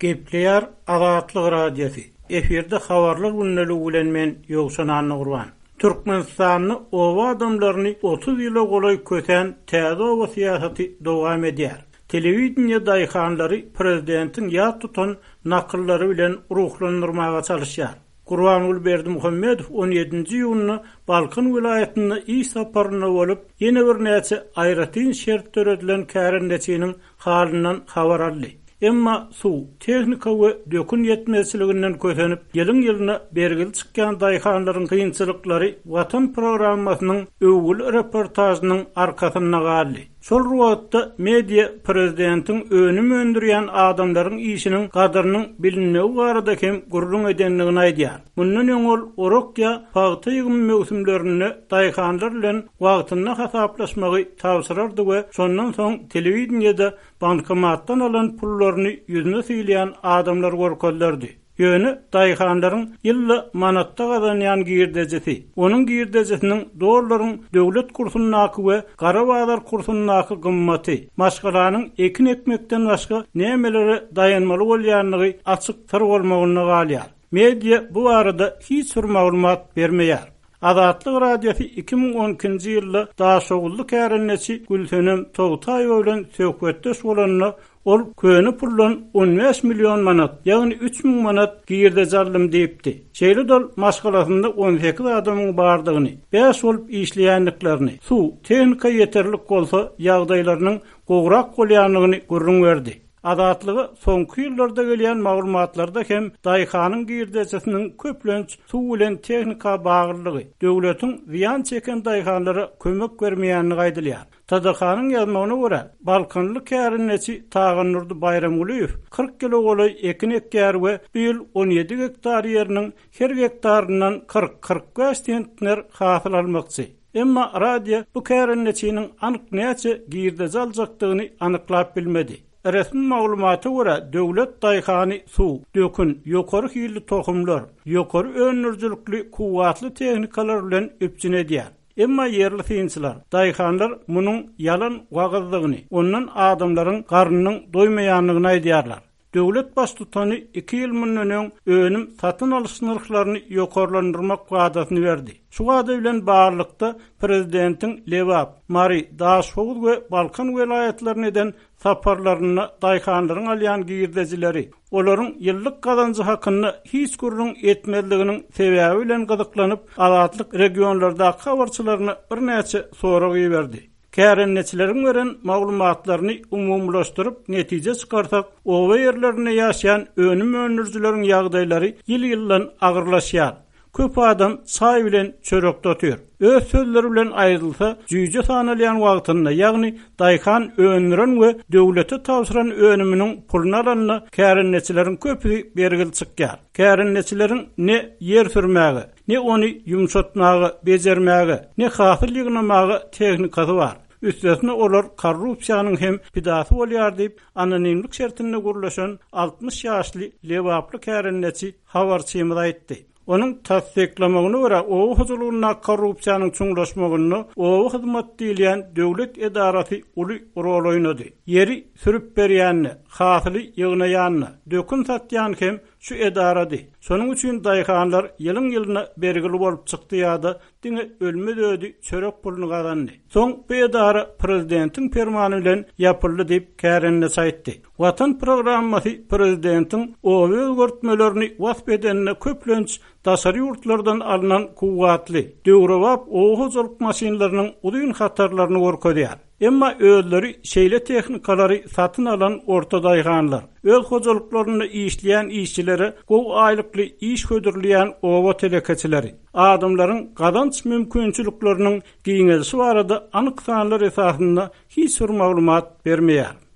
Gepleýär Azatlyk Radiosy, efirde Habarlar gündeligi bilen men Ýowşan Annagurban. Türkmenistanda oba adamlaryny 30 ýyla golaý kösän täze oba syýasaty dowam edýär. Telewideniýe daýhanlary prezidentiň ýat tutan nakyllary bilen ruhlandyrmaga çalyşýar. Gurbanguly Berdimuhamedow on ýedinji iýunda Balkan welaýatynda iş saparynda bolup, ýene birnäçe aýratyn şert döredilen kärendeçiniň halyndan habar aldy. Emma suw, tehnika we dökün ýetmezçiliginden kösenip, ýylyň-ýylyna bergili çykýan daýhanlaryň kynçylyklary Watan programmasynyň öwgüli reportažynyň arkasynda galdy. Şol bir wagtda, media prezidentiň önüm öndürýän adamlaryň işiniň gadyrynyň bilinmegi barada hem gürrüň edendigini aýdýar. Mundan öň ol orak ýa pagta ýygymy möwsümlerinde daýhanlar bilen wagtynda hasaplaşmagy tabşyrardy we şondan soň telewideniýede bankomatdan alan pullaryny ýüzüne sylýan adamlar görkezilerdi. Ýöne daýhanlaryň ýylda manatda gazanýan girdejisi, onuň girdejisiniň dollaryň döwlet kursyndaky we gara bazar kursyndaky gymmaty, maşgalanyň ekin ekmekden başga nämelere daýanmaly bolýandygy açyk syr bolmagynda galýar. Media bu barada hiç bir maglumat bermeýär. Azatlyk Radiosy 2012-nji ýylda daşoguzly kärendeçi Gülsenem Togtaýewa bilen söhbetdeş bolanda, ol köne puldan 15 million manat, ýagny 3000 manat girdeji aldym diýipdi. Şeýle-de ol maşgalasynda 18 adamyň bardygyny, bäş bolup işleýändiklerini, suw, tehnika ýeterlik bolsa, ýagdaýlarynyň gowrak bolýandygyny gürrüň berdi. Azatlyga soňky ýyllarda gelýän maglumatlarda hem daýhanyň girdejisiniň köplenç suw bilen tehnika baglylygy, döwletiň zyýan çeken daýhanlara kömek bermeýändigi aýdylýar. TDH-nyň ýazmagyna görä, balkanly kärendeçi Tagandurdy Baýramgulyýew 40 ýyla golaý ekin ekýär we bu ýyl 17 gektar ýeriniň her gektaryndan 40-45 sentner hasyl almakçy. Emma radio bu kärendeçiniň anyk näçe girdeji aljakdygyny anyklap bilmedi. Resmi maglumata görä, döwlet daýhany suw, dökün, ýokary hilli tohumlar, ýokary öndürijilikli kuwwatly tehnikalar bilen üpjün edýär. Emma ýerli synçylar, daýhanlar munuň ýalan wagyzdygyny, ondan adamlaryň garnynyň doýmaýandygyny aýdýarlar. Döwlet Baştutany iki ýyl mundan öň önüm satyn alyş nyrhlaryny ýokarlandyrmak wadasyny berdi. Şu wada bilen baglylykda, prezidentiň Lebap, Mary, Daşhowuz we Balkan welaýatlaryna eden saparlarynda daýhanlaryň alýan girdejileri, olaryň ýyllyk gazanjy hakynda hiç gürrüň etmezliginiň sebäbi bilen gyzyklanyp, Azatlyk regionlardaky habarçylaryna birnäçe sorag iberdi. Kärendeçileriň beren maglumatlaryny umumylaşdyryp netije çykarsak, oba ýerlerinde ýaşaýan önüm öndürijileriň ýagdaýlary ýyl-ýyldan agyrlaşýar. Köp adam çaý bilen çörekde otyr. Öz sözleri bilen aýdylsa, jüýje sanalýan wagtynda, ýagny daýhan öndüren we döwlete tabşyran önüminiň puluny alanda kärendeçileriň köpüsi bergili çykýar. Kärendeçileriň ne ýer sürmäge, Ne ony ýumşatmaga, bejermäge, ne hasyl ýygnamaga tehnikasy bar. Üstesine olar korrupsiýanyň hem pidasy bolýar diýip, anonimlik şertinde gürleşen 60 ýaşly lebaply kärendeçi habarçymyza aýtdy. Onuň tassyklamagyna görä, oba hojalygyndaky korrupsiýanyň çuňlaşmagynda Oba hyzmat diýilýän döwlet edarasy uly rol oýnady. Ýeri sürüp berýän-de, hasyly ýygnaýan-da, dökün satýan hem Şu edarady. Şonuň üçin daýhanlar ýylyň-ýylyna bergili bolup çykdy ýa-da diňe ölmez-ödi çörek puluny gazandy. Soň bu edara prezidentiň permany bilen ýapyldy diýip, kärendeçi aýtdy. Watan programmasy prezidentiň oba özgertmelerini wasp edende köplenç daşary ýurtlardan alnan kuwwatly, döwrebap oba hojalyk maşynlarynyň uzyn hatarlaryny görkezýär. Emma özleri şeýle tehnikalary satyn alan orta daýhanlar, öz hojalyklarynda işleýän işçilere gowy aýlykly iş hödürleýän oba telekeçileri, adamlaryň gazanç mümkinçilikleriniň giňelişi barada anyk sanlar esasynda hiç bir maglumat bermeýär.